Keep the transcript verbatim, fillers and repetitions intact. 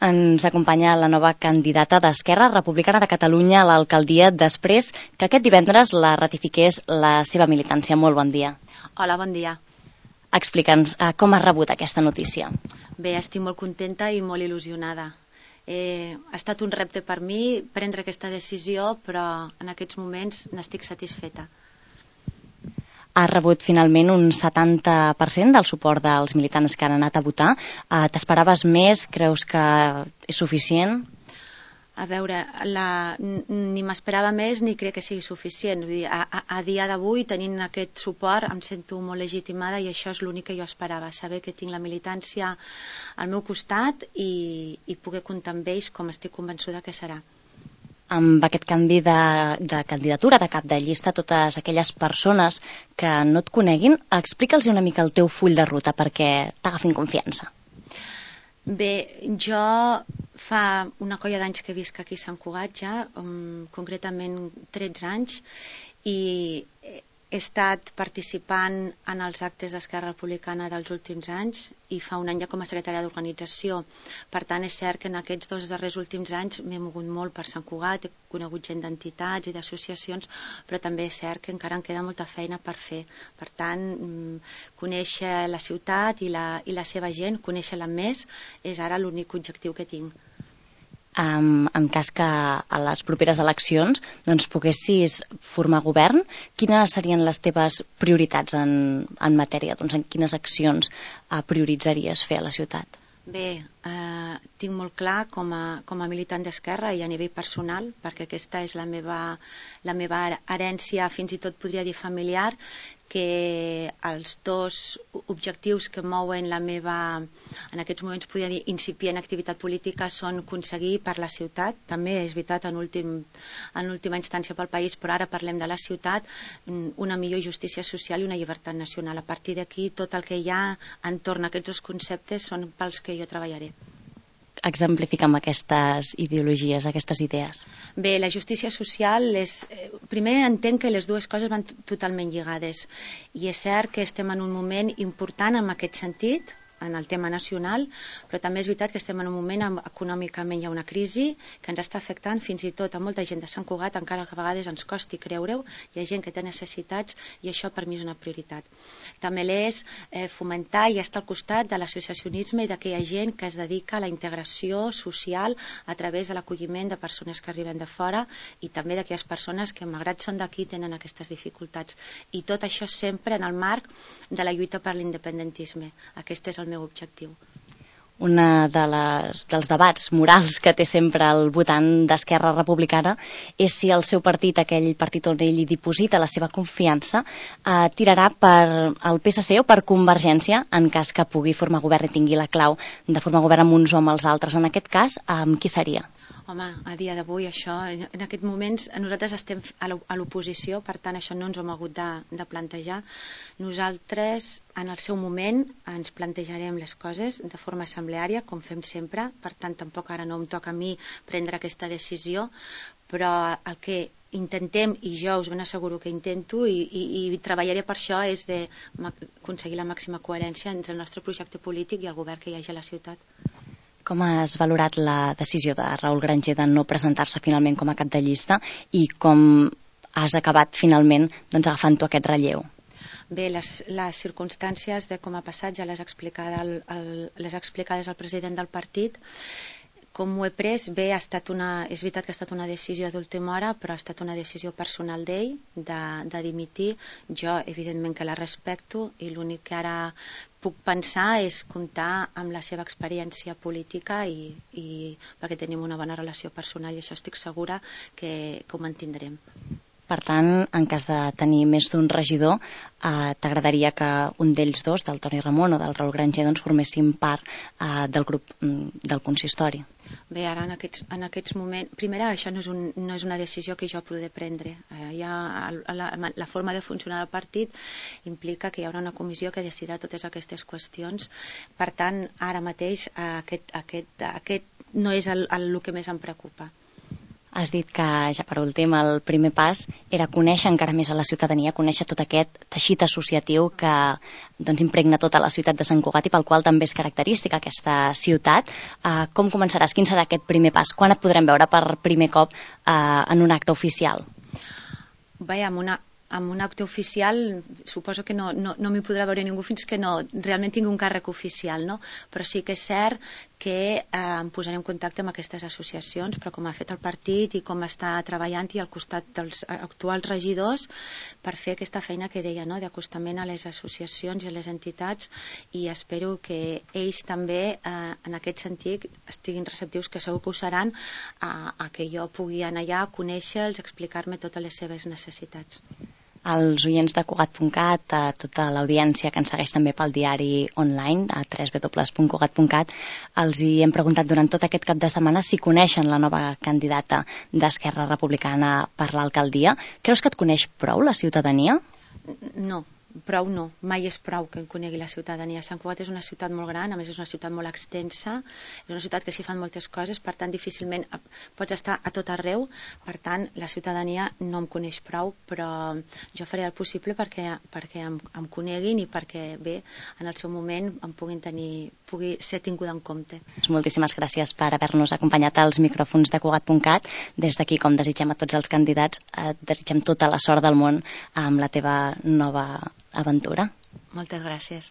ens acompanya la nova candidata d'Esquerra Republicana de Catalunya a l'alcaldia després que aquest divendres la ratifiqués la seva militància. Molt bon dia. Hola, bon dia. Explica'ns eh, com has rebut aquesta notícia. Bé, estic molt contenta i molt il·lusionada. Eh, ha estat un repte per mi prendre aquesta decisió, però en aquests moments n'estic satisfeta. Has rebut finalment un setanta per cent del suport dels militants que han anat a votar. Eh, T'esperaves més? Creus que és suficient? A veure, la, ni m'esperava més ni crec que sigui suficient. Vull dir, a, a, a dia d'avui, tenint aquest suport, em sento molt legitimada i això és l'únic que jo esperava, saber que tinc la militància al meu costat i, i poder comptar amb ells com estic convençuda que serà. Amb aquest canvi de, de candidatura, de cap de llista, totes aquelles persones que no et coneguin, explica'ls una mica el teu full de ruta perquè t'agafin confiança. Bé, jo fa una colla d'anys que visc aquí a Sant Cugat ja, um, concretament tretze anys, i he estat participant en els actes d'Esquerra Republicana dels últims anys i fa un any ja com a secretària d'organització. Per tant, és cert que en aquests dos darrers últims anys m'he mogut molt per Sant Cugat, he conegut gent d'entitats i d'associacions, però també és cert que encara em queda molta feina per fer. Per tant, conèixer la ciutat i la, i la seva gent, conèixer-la més, és ara l'únic objectiu que tinc. Um, en cas que a les properes eleccions doncs, poguessis formar govern, quines serien les teves prioritats en, en matèria? Doncs, en quines accions uh, prioritzaries fer a la ciutat? Bé, eh, tinc molt clar com a, com a militant d'Esquerra i a nivell personal, perquè aquesta és la meva, la meva herència, fins i tot podria dir familiar, que els dos objectius que mouen la meva, en aquests moments podria dir incipient activitat política, són aconseguir per la ciutat, també és veritat en, últim, en última instància pel país, però ara parlem de la ciutat, una millor justícia social i una llibertat nacional. A partir d'aquí tot el que hi ha entorn a aquests dos conceptes són pels que jo treballaré. Exemplifica'm aquestes ideologies, aquestes idees. Bé, la justícia social és... Primer entenc que les dues coses van totalment lligades i és cert que estem en un moment important en aquest sentit, en el tema nacional, però també és veritat que estem en un moment on econòmicament hi ha una crisi que ens està afectant fins i tot a molta gent de Sant Cugat, encara que a vegades ens costi creure-ho, hi ha gent que té necessitats i això per mi és una prioritat. També és eh, fomentar i estar al costat de l'associacionisme i d'aquella gent que es dedica a la integració social a través de l'acolliment de persones que arriben de fora i també d'aquelles persones que malgrat són d'aquí tenen aquestes dificultats. I tot això sempre en el marc de la lluita per l'independentisme. Aquest és el meu objectiu. Una de les, dels debats morals que té sempre el votant d'Esquerra Republicana és si el seu partit, aquell partit on ell hi diposita la seva confiança, eh, tirarà per el P S C o per Convergència en cas que pugui formar govern i tingui la clau de formar govern amb uns o amb els altres. En aquest cas, amb qui seria? Home, a dia d'avui això, en aquests moments nosaltres estem a l'oposició, per tant això no ens ho hem hagut de, de plantejar. Nosaltres en el seu moment ens plantejarem les coses de forma assembleària, com fem sempre, per tant tampoc ara no em toca a mi prendre aquesta decisió, però el que intentem, i jo us ben asseguro que intento i, i, i treballaré per això, és d'aconseguir la màxima coherència entre el nostre projecte polític i el govern que hi hagi a la ciutat. Com has valorat la decisió de Raül Granger de no presentar-se finalment com a cap de llista i com has acabat finalment doncs, agafant tu aquest relleu? Bé, les, les circumstàncies de com ha passat ja les, explicada el, el, les explicades al president del partit. Com ho he pres, bé, ha estat una, és veritat que ha estat una decisió d'última hora, però ha estat una decisió personal d'ell de, de dimitir. Jo, evidentment, que la respecto i l'únic que ara puc pensar és comptar amb la seva experiència política i, i perquè tenim una bona relació personal i això estic segura que, que ho mantindrem. Per tant, en cas de tenir més d'un regidor, eh, t'agradaria que un d'ells dos, del Toni Ramon o del Raül Granger, doncs, formessin part eh, del grup del consistori? Bé, ara en aquests, en aquests moments... Primer, això no és, un, no és una decisió que jo podré prendre. Eh, ja, la, la forma de funcionar del partit implica que hi haurà una comissió que decidirà totes aquestes qüestions. Per tant, ara mateix aquest, aquest, aquest no és el, el, el que més em preocupa. Has dit que, ja per últim, el primer pas era conèixer encara més a la ciutadania, conèixer tot aquest teixit associatiu que doncs, impregna tota la ciutat de Sant Cugat i pel qual també és característica aquesta ciutat. Uh, com començaràs? Quin serà aquest primer pas? Quan et podrem veure per primer cop uh, en un acte oficial? Bé, amb una amb un acte oficial suposo que no, no, no m'hi podrà veure ningú fins que no realment tingui un càrrec oficial, no? Però sí que és cert que eh, em posaré en contacte amb aquestes associacions, però com ha fet el partit i com està treballant i al costat dels actuals regidors per fer aquesta feina que deia, no? D'acostament a les associacions i a les entitats, i espero que ells també eh, en aquest sentit estiguin receptius, que segur que ho seran, a, a que jo pugui anar allà, conèixer-los, explicar-me totes les seves necessitats. Als oients de Cugat punt cat, a tota l'audiència que ens segueix també pel diari online, a w w w punt cugat punt cat, els hi hem preguntat durant tot aquest cap de setmana si coneixen la nova candidata d'Esquerra Republicana per l'alcaldia. Creus que et coneix prou la ciutadania? No. Prou no, mai és prou que en conegui la ciutadania. Sant Cugat és una ciutat molt gran, a més és una ciutat molt extensa, és una ciutat que s'hi fan moltes coses, per tant difícilment pots estar a tot arreu, per tant la ciutadania no em coneix prou, però jo faré el possible perquè, perquè em, em coneguin i perquè bé, en el seu moment em puguin tenir, pugui ser tinguda en compte. Moltíssimes gràcies per haver-nos acompanyat als micròfons de Cugat punt cat. Des d'aquí, com desitgem a tots els candidats, eh, desitgem tota la sort del món amb la teva nova aventura. Moltes gràcies.